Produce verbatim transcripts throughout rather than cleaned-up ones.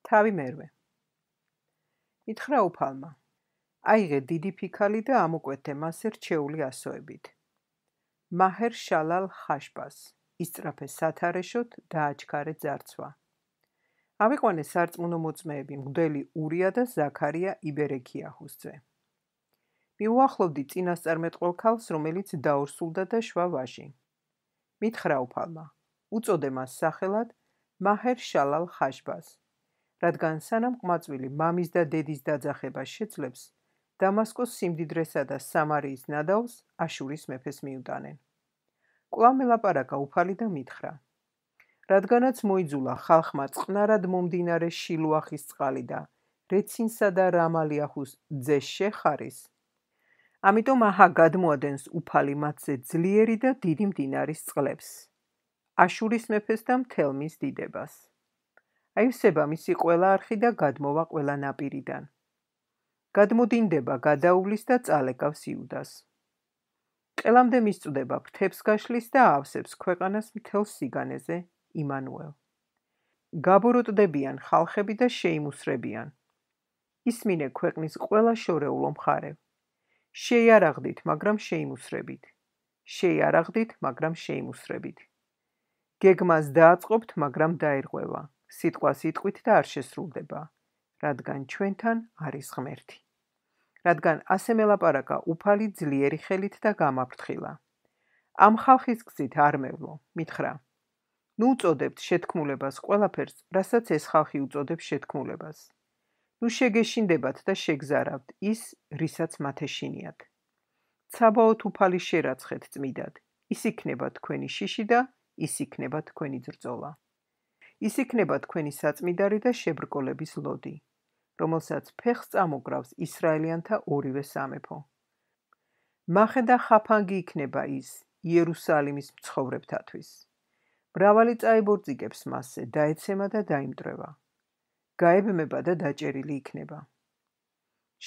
თავი მერვე. მითხრა უფალმა. აიღე დიდი ფიქალი და ამოკვეთე მასზე რჩეული ასოებით. მაჰერ შალალ ხაშბას, ისწრაფე სათარეშოთ და აჩქარე ძარცვა. ავიყვანე სარწმუნო მოწმეები მღვდელი ურია და ზაქარია იბერექიაჰუსძე. მიუახლოვდი წინასწარმეტყველ ქალს, რომელიც დაორსულდა და შვა ვაჟი. მითხრა უფალმა, უწოდე მას სახელად მაჰერ შალალ ხაშბას, რადგან სანამ ყმაწვილი მამის და დედის დაძახებას შეძლებს, დამასკოს სიმდიდრესა და სამარიის ნადავლს აშურის მეფეს მიუტანენ. კვლავ მელაპარაკა უფალი და მითხრა, რადგანაც მოიძულა ხალხმა წყნარად მომდინარე შილუახის წყალი და რეცინსა და რამალიაჰუს ძე შეხარის, ამიტომ აჰა გადმოადენს უფალი მათზე ძლიერი და დიდი მდინარის წყლებს, აშურის მეფეს და მთელ მის დიდებას. აივსება მისი ყველა არხი და გადმოვა ყველა ნაპირიდან. გადმოდინდება გადაუვლის და წალეკავს იუდას. ყელამდე მისწვდება ფრთებს გაშლის და ავსებს ქვეყანას მთელ სიგანეზე იმანუელ. გაბოროტდებიან ხალხები და შეიმუსრებიან. ისმინე ქვეყნის ყველა შორეულო მხარე. შეიარაღდით, მაგრამ შეიმუსრებით. შეიარაღდით, მაგრამ შეიმუსრებით. გეგმას დააწყობთ, მაგრამ დაერღვევა. სიტყვა სიტყვით და არ შესრულდება, რადგან ჩვენთან არის ღმერთი. რადგან ასე მელაპარაკა უფალი ძლიერი ხელით და გამაფრთხილა. ამ ხალხის გზით არ მევლო, მითხრა. ნუ უწოდებთ შეთქმულებას ყველაფერს, რასაც ეს ხალხი უწოდებს შეთქმულებას. ნუ შეგეშინდებათ და შეგზარავთ ის, რისაც მათ ეშინიათ. ცაბაოთ უფალი შერაცხეთ წმიდად, ის იქნება თქვენი შიში და ის იქნება თქვენი ბრძოლა. ის იქნება თქვენი საწმიდარი და შებრკოლების ლოდი, რომელსაც ფეხს წამოგრავს ისრაელიანთა ორივე სამეფო. მახე და ხაფანგი იქნება ის იერუსალიმის მცხოვრებთათვის. მრავალი წაებორძიგებს მასზე, დაეცემა და დაიმტვრევა. გაებმება და დაჭერილი იქნება.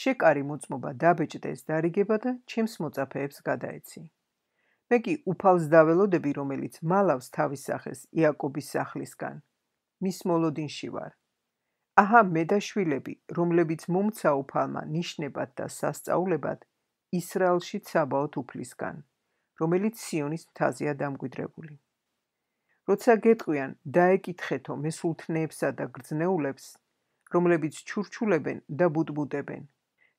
შეკარი მოწმობა დაბეჭდეს დარიგება და ჩემს მოწაფეებს გადაეცი. მე კი უფალს დაველოდები, რომელიც მალავს თავის სახეს იაკობის სახლისგან. მის მოლოდინში ვარ. აჰა მე და შვილები, რომლებიც მომცა უფალმა ნიშნებად და სასწაულებად ისრაელში ცაბაოთ უფლისგან, რომელიც სიონის მთაზეა დამკვიდრებული. როცა გეტყვიან, დაეკითხეთო მესულთნეებსა და გრძნეულებს, რომლებიც ჩურჩულებენ და ბუდბუდებენ.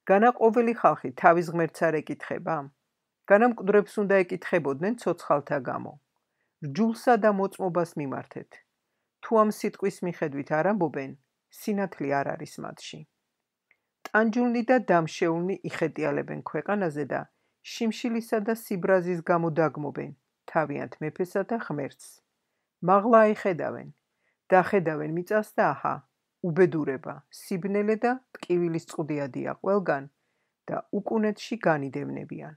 განა ყოველი ხალხი თავის ღმერთს არ ეკითხება? განა მკვდრებს უნდა ეკითხებოდნენ ცოცხალთა გამო. რჯულსა და მოწმობას მიმართეთ. თუ ამ სიტყვის მიხედვით არ ამბობენ, სინათლე არ არის მათში. ტანჯულნი და დამშეულნი იხეტიალებენ ქვეყანაზე და შიმშილისა და სიბრაზის გამო დაგმობენ თავიანთ მეფესა და ღმერთს. მაღლა აიხედავენ, დახედავენ მიწას და აჰა, უბედურება, სიბნელე და ტკივილის წყუდიადია ყველგან და უკუნეთში განიდევნებიან.